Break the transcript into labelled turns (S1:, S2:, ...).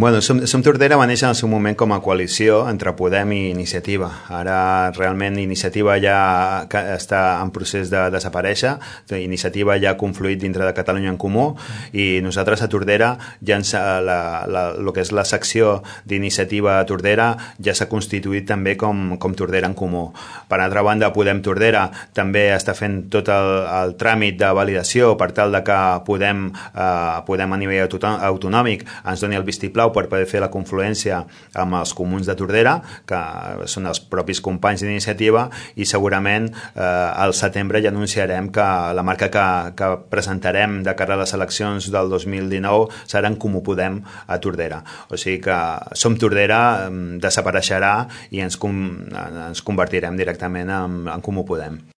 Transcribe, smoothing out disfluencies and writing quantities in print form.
S1: Bueno, Som Tordera va néixer en el seu moment com a coalició entre Podem i Iniciativa. Ara realment Iniciativa ja està en procés de desaparèixer, Iniciativa ja ha confluït dintre de Catalunya en Comú i nosaltres a Tordera ja el que és la secció d'Iniciativa a Tordera ja s'ha constituït també com Tordera en Comú. Per altra banda, Podem Tordera també està fent tot el tràmit de validació per tal de que Podem a nivell autonòmic ens doni el vistiplau per poder fer la confluència amb els comuns de Tordera, que són els propis companys d'Iniciativa, i segurament al setembre ja anunciarem que la marca que presentarem de cara a les eleccions del 2019 serà en Comú Podem a Tordera. O sigui que Som Tordera desapareixerà i ens convertirem directament en Comú Podem.